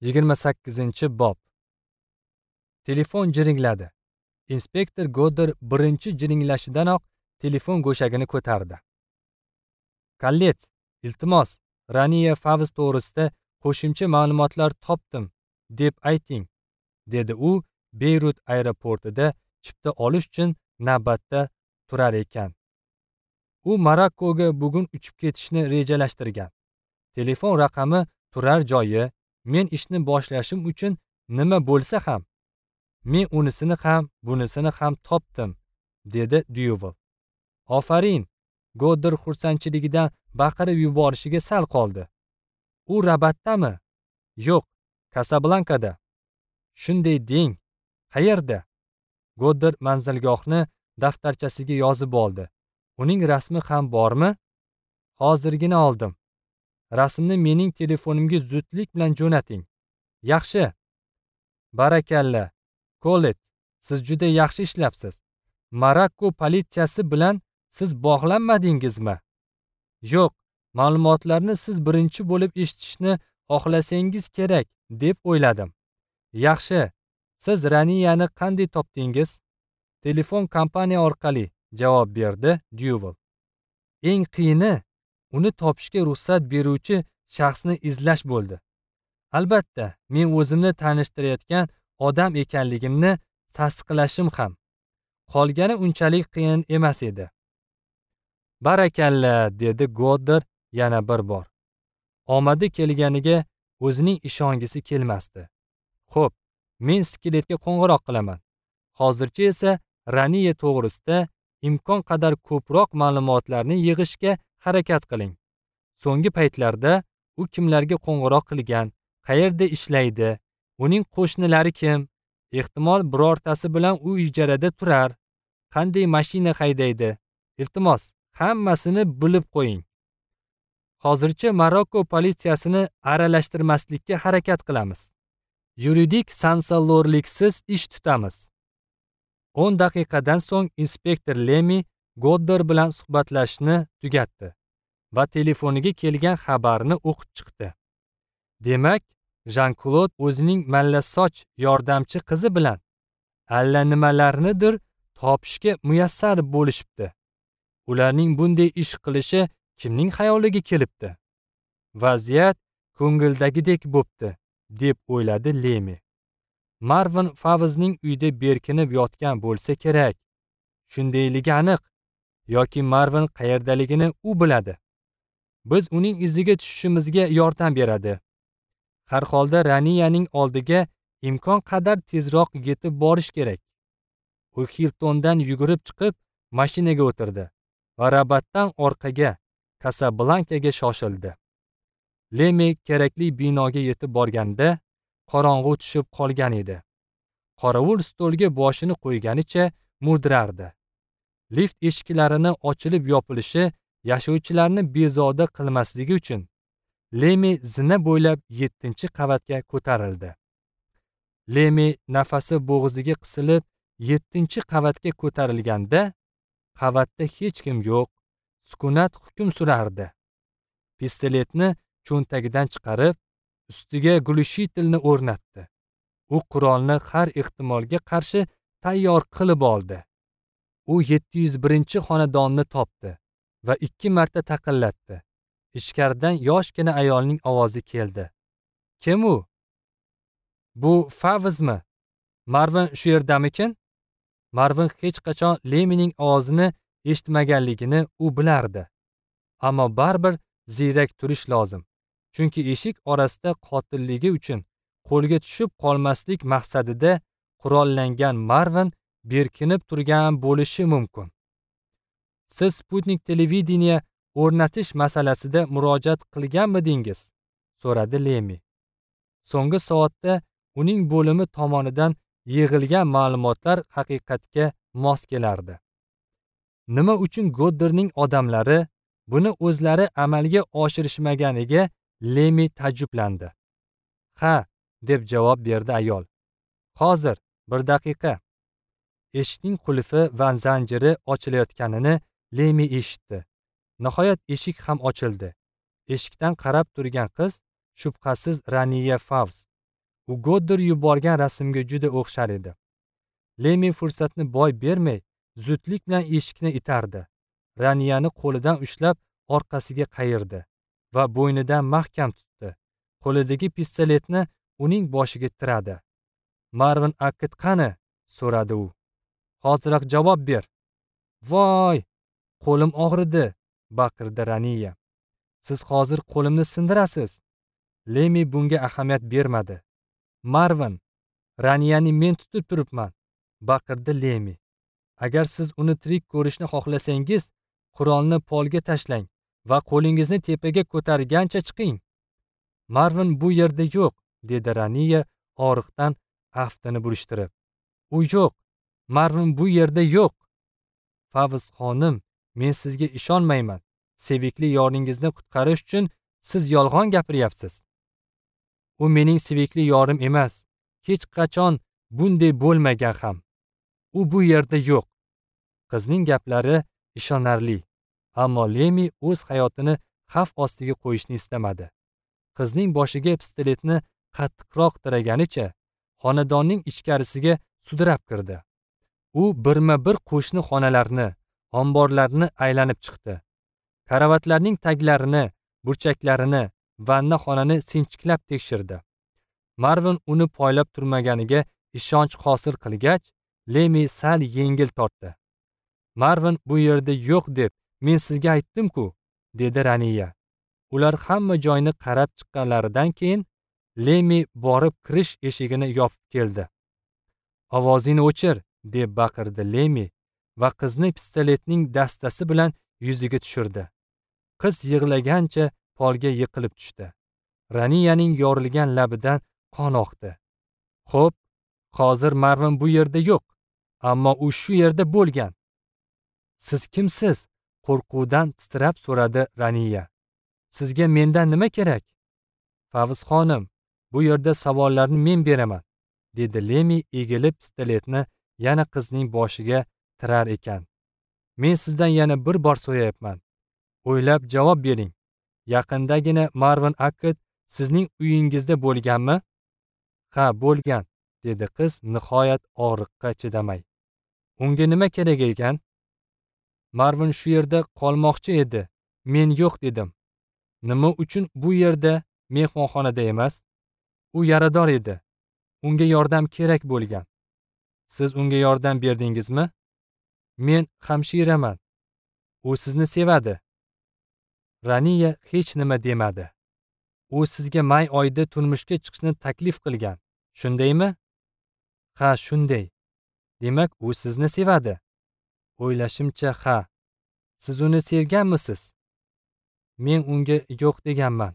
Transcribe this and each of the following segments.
28-bob. Telefon jiringladi. Inspektor Godder birinchi jiringlashidanoq telefon go'shagini ko'tardi. "Kollet, iltimos, Raniya Favz to'g'risida qo'shimcha ma'lumotlar topdim, deb ayting", dedi u Beyrut aeroportida chipta olish uchun navbatda turar ekan. U Marokkoga bugun uchib ketishni rejalashtirgan. Telefon raqami, turar joyi, men ishni boshlashim uchun nima bo'lsa ham, men unisini ham, bunisini ham topdim, dedi Dyuval. "Ofarin!" Godder xursandchiligidan baqirib yuborishiga sal qoldi. "U Rabatdami?" "Yo'q, Kasablankada." "Shunday deng. Qayerda?" Godder manzilgohni daftarchasiga yozib oldi. "Uning rasmi ham bormi?" "Hozirgina oldim. Rasmni mening telefonimga zudlik bilan jo'nating." "Yaxshi. Barakalla. Kollet, siz juda yaxshi ishlabsiz. Marokko politsiyasi bilan siz bog'lanmadingizmi?" "Yo'q, ma'lumotlarni siz birinchi bo'lib eshitishni xohlasangiz kerak, deb o'yladim." "Yaxshi. Siz Raniyani qanday topdingiz?" "Telefon kompaniya orqali", javob berdi Dyuval. "Eng qiyini uni topishga ruxsat beruvchi shaxsni izlash bo'ldi. Albatta, men o'zimni tanishtirayotgan odam ekanligimni tasdiqlashim ham. Qolgani unchalik qiyin emas edi." "Barakalla", dedi Godder yana bir bor. Omadi kelganiga o'zining ishongisi kelmasdi. "Xo'p, men skeletga qo'ng'iroq qilaman. Hozircha esa Raniya to'g'risida imkon qadar ko'proq ma'lumotlarni yig'ishga harakat qiling. So'nggi paytlarda u kimlarga qo'ng'iroq qilgan, qayerda ishlaydi, uning qo'shnilari kim, ehtimol birortasi bilan u ijarada turar, qanday mashina haydaydi. Iltimos, hammasini bilib qo'ying. Hozircha Marokko politsiyasini aralashtirmaslikka harakat qilamiz. Yuridik sansalorliksiz ish tutamiz." 10 daqiqadan so'ng inspektor Lemi Godder bilan suhbatlashishni tugatdi va telefoniga kelgan xabarni o'qib chiqdi. Demak, Jean-Claude o'zining mallasoch yordamchi qizi bilan allanimalarnidir topishga muyassar bo'lishibdi. Ularning bunday ish qilishi kimning xayoliga kelibdi? Vaziyat ko'ngildagidek bo'pti, deb o'yladi Lemi. Marvin Favzning uyda berkinib yotgan bo'lsa kerak. Shundayligi aniq. Yoki Marvin qayerdaligini u biladi. Biz uning iziga tushishimizga yordam beradi. Har holda Raniyaning oldiga imkon qadar tezroq yetib borish kerak. U Hiltondan yugurib chiqib mashinaga o'tirdi va Rabatdan orqaga, Kasablankaga shoshildi. Lemi kerakli binoga yetib borganda qorong'u tushib qolgan edi. Qorovul stolga boshini qo'yganicha mudrardi. Lift eshiklarini ochilib yopilishi yashovchilarni bezovta qilmasligi uchun Lemi zina bo'ylab 7-qavatga ko'tarildi. Lemi nafasi bo'g'ziga qisilib 7-qavatga ko'tarilganda qavatda hech kim yo'q, sukunat hukm surardi. Pistoletni cho'ntagidan chiqarib, ustiga glushitilni o'rnatdi. U qurolni har ehtimolga qarshi tayyor qilib oldi. U 701-xonadonni topdi va 2 marta taqillatdi. Ichkaridan yoshgina ayolning ovozi keldi. "Kim u? Bu Favzmi? Marvin shu yerdamikin?" Marvin hech qachon Lemining ovozini eshitmaganligini u bilardi. Ammo baribir ziyrak turish lozim. Chunki eshik orasida qotilligi uchun qo'lga tushib qolmaslik maqsadida qurollangan Marvin berkinib turgan bo'lishi mumkin. "Siz Sputnik televideniya o'rnatish masalasida murojaat qilganmidingiz?" so'radi Lemi. So'nggi soatda uning bo'limi tomonidan yig'ilgan ma'lumotlar haqiqatga mos kelardi. Nima uchun Godderning odamlari buni o'zlari amalga oshirishmaganiga Lemi ta'jjublandi. "Ha", deb javob berdi ayol. "Hozir, bir daqiqa." Eshikning qulfi va zanjiri ochilayotganini Lemi eshitdi. Nihoyat eshik ham ochildi. Eshikdan qarab turgan qiz shubhasiz Raniya Favz. U Goddar yuborgan rasmga juda o'xshar edi. Lemi fursatni boy bermay, zudlik bilan eshikni itardi. Raniyani qo'lidan ushlab orqasiga qayirdi va bo'ynidan mahkam tutdi. Qo'lidagi pistoletni uning boshiga tiradi. Marvin Akkit qani? So'radi u. Hoziroq javob ber. Voy, qo'lim og'ridi, baqirdi Raniya. Siz hozir qo'limni sindirasiz. Lemi bunga ahamiyat bermadi. Marvin, Raniyani men tutib turibman, baqirdi Lemi. Agar siz uni tirik ko'rishni xohlasangiz, qurolni polga tashlang va qo'lingizni tepaga ko'targancha chiqing. Marvin bu yerda yo'q, dedi Raniya og'riqdan aftini burishtirib. U yo'q. Marvin bu yerda yo'q. Favz xonim, men sizga ishonmayman. Sevikli yoringizni qutqarish uchun siz yolg'on gapiryapsiz. U mening sevikli yorim emas. Hech qachon bunday bo'lmagan ham. U bu yerda yo'q. Qizning gaplari ishonarli, ammo Lemi o'z hayotini xavf ostiga qo'yishni istamadi. Qizning boshiga pistoletni qattiqroq tiraganicha xonadonning ichkarisiga sudrab kirdi. U birma-bir qo'shni xonalarni, omborlarni aylanib chiqdi. Karavotlarning taglarini, burchaklarini, vanna xonani sinchiklab tekshirdi. Marvin uni poylab turmaganiga ishonch hosil qilgach, Lemi sal yengil tortdi. Marvin bu yerda yo'q deb men sizga aytdim-ku, dedi Raniya. Ular hamma joyni qarab chiqqanlaridan keyin Lemi borib kirish eshigini yopib keldi. Ovozingni o'chir, deb baqirdi Lemi va qizni pistoletning dastasi bilan yuziga tushirdi. Qiz yig'lagancha polga yiqilib tushdi. Raniyaning yorilgan labidan qon oqdi. Xo'p, hozir Marvin bu yerda yo'q, ammo u shu yerda bo'lgan. Siz kimsiz? Qo'rquvdan titrab so'radi Raniya. Sizga mendan nima kerak? Favz xonim, bu yerda savollarni men beraman, dedi Lemi egilib pistoletni yana qizning boshiga tirar ekan. Men sizdan yana bir bor so'rayapman. O'ylab javob bering. Yaqindagina Marvin Akkit sizning uyingizda bo'lganmi? Ha, bo'lgan, dedi qiz nihoyat og'riqqa chidamay. Unga nima kerak ekan? Marvin shu yerda qolmoqchi edi. Men yo'q dedim. Nima uchun bu yerda, mehmonxonada emas? U yarador edi. Unga yordam kerak bo'lgan. Siz unga yordam berdingizmi? Men hamshiraman. U sizni sevadi. Raniya hech nima demadi. U sizga may oyida turmushga chiqishni taklif qilgan. Shundaymi? Ha, shunday. Demak, u sizni sevadi. O'ylashimcha, ha. Siz uni sevganmisiz? Men unga yo'q deganman.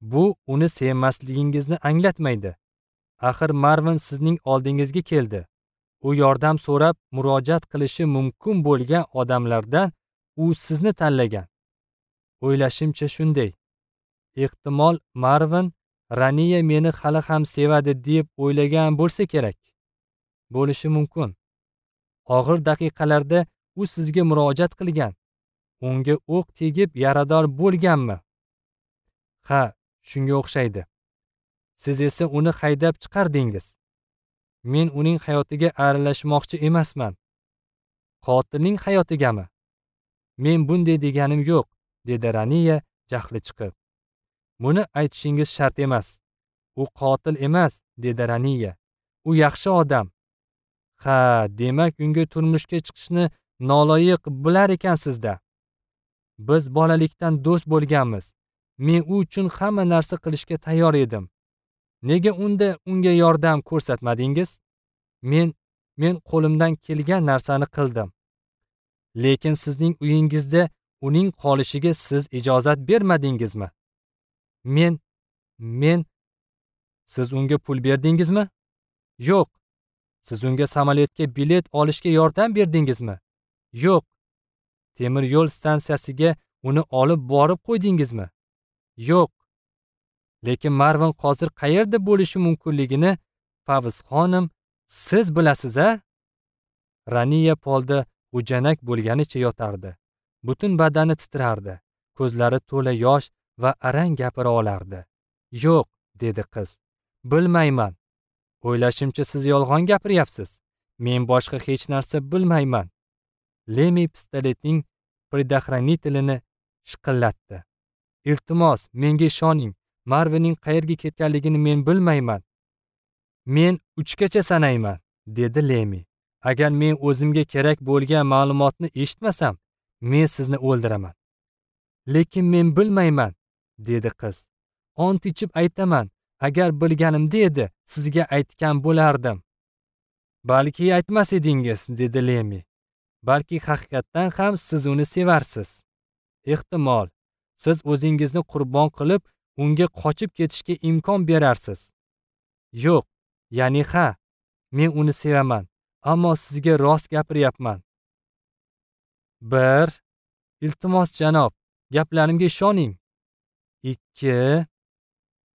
Bu uni sevmasligingizni anglatmaydi. Axir Marvin sizning oldingizga keldi. U yordam so'rab murojaat qilishi mumkin bo'lgan odamlardan u sizni tanlagan. O'ylashimcha shunday. Ehtimol Marvin Raniya meni hali ham sevadi deb o'ylagan bo'lsa kerak. Bo'lishi mumkin. Og'ir daqiqalarda u sizga murojaat qilgan. Unga o'q tegib yarador bo'lganmi? Ha, shunga o'xshaydi. Siz esa uni haydab chiqardingiz. Men uning hayotiga aralashmoqchi emasman. Qotilning hayotigami? Men bunday deganim yo'q, dedi Raniya jahli chiqib. Buni aytishingiz shart emas. U qotil emas, dedi Raniya. U yaxshi odam. Ha, demak unga turmushga chiqishni noloyiq bilar ekansizda. Biz bolalikdan do'st bo'lganmiz. Men u uchun hamma narsa qilishga tayyor edim. Nega unda unga yordam ko'rsatmadingiz? Men qo'limdan kelgan narsani qildim. Lekin sizning uyingizda uning qolishiga siz ijozat bermadingizmi? Men siz unga pul berdingizmi? Yo'q. Siz unga samolyotga bilet olishga yordam berdingizmi? Yo'q. Temir yo'l stansiyasiga uni olib borib qo'ydingizmi? Yo'q. Lekin Marvin hozir qayerda bo'lishi mumkinligini Favz xonim siz bilasiz-a? Raniya polda g'ujanak bo'lganicha yotardi. Butun badani titrardi. Ko'zlari to'la yosh va arang gapira olardi. Yo'q, dedi qiz. Bilmayman. O'ylashimcha siz yolg'on gapiryapsiz. Men boshqa hech narsa bilmayman. Lemi pistoletning предохранителini shiqillatdi. Iltimos, menga ishoning. Marvinning qayerga ketganligini men bilmayman. Men 3 gacha sanayman, dedi Lemi. Agar men o'zimga kerak bo'lgan ma'lumotni eshitmasam, men sizni o'ldiraman. Lekin men bilmayman, dedi qiz. Ont ichib aytaman, agar bilganimda edi, sizga aytgan bo'lardim. Balki aytmas edingiz, dedi Lemi. Balki haqiqatdan ham siz uni sevarsiz. Ehtimol, siz o'zingizni qurbon qilib, unga qochib ketishga imkon berarsiz. Yo'q, ya'ni ha, men uni sevaman, ammo sizga rost gapiryapman. 1. Iltimos janob, gaplarimga ishoning. 2.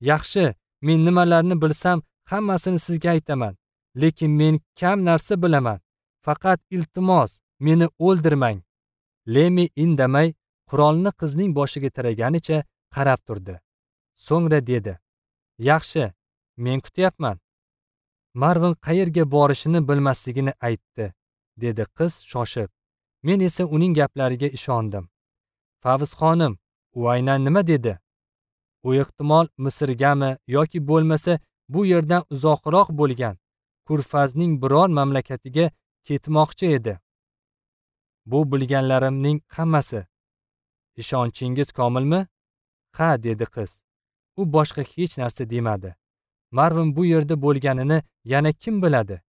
Yaxshi, men nimalarni bilsam, hammasini sizga aytaman. Lekin men kam narsa bilaman. Faqat iltimos, meni o'ldirmang. Lemi indamay, qurolni qizning boshiga tiraganicha qarab turdi. So'ngra dedi: "Yaxshi, men kutyapman." Marvin qayerga borishini bilmasligini aytdi, dedi qiz shoshib. Men esa uning gaplariga ishondim. Favz xonim, u aynan nima dedi? U ehtimol Misrgami yoki bo'lmasa bu yerdan uzoqroq bo'lgan Kurfazning biror mamlakatiga ketmoqchi edi. Bu bilganlarimning hammasi. Ishonchingiz komilmi? Ha, dedi qiz. U boshqa hech narsa demadi. Marvin bu yerda bo'lganini yana kim biladi?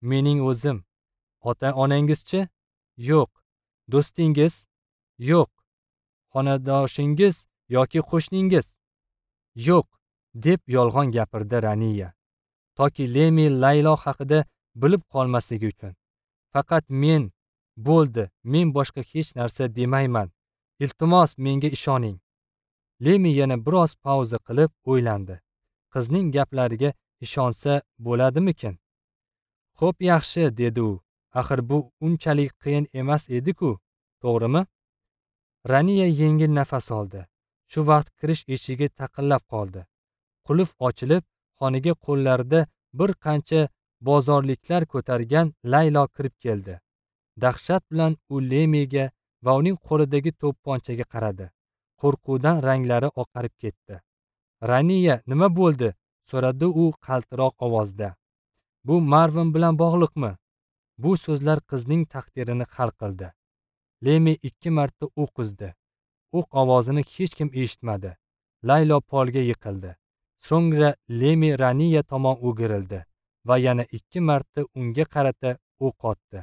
Mening o'zim. Ota-onangizchi? Yo'q. Do'stingiz? Yo'q. Xonadoshingiz yoki qo'shningiz? Yo'q, deb yolg'on gapirdi Raniya. Toki Lemi Laylo haqida bilib qolmasligi uchun. Faqat men, bo'ldi, men boshqa hech narsa demayman. Iltimos, menga ishoning. Lemi yana biroz pauza qilib o'ylandi. Qizning gaplariga ishonsa bo'ladimikin? Xo'p, yaxshi, dedi u. Axir bu unchalik qiyin emas edi-ku, to'g'rimi? Raniya yengil nafas oldi. Shu vaqt kirish eshigi taqillab qoldi. Qulf ochilib, xonaga qo'llarida bir qancha bozorliklar ko'targan Laylo kirib keldi. Dahshat bilan u Lemiga va uning qo'lidagi to'pponchaga qaradi. Qo'rquvdan ranglari oqarib ketdi. Raniya, nima bo'ldi? So'radi u qaltiroq ovozda. Bu Marvin bilan bog'liqmi? Bu so'zlar qizning taqdirini hal qildi. Lemi 2 marta o'q uzdi. O'q ovozini hech kim eshitmadi. Laylo polga yiqildi. So'ngra Lemi Raniya tomon o'girildi va yana 2 marta unga qarata o'q otdi.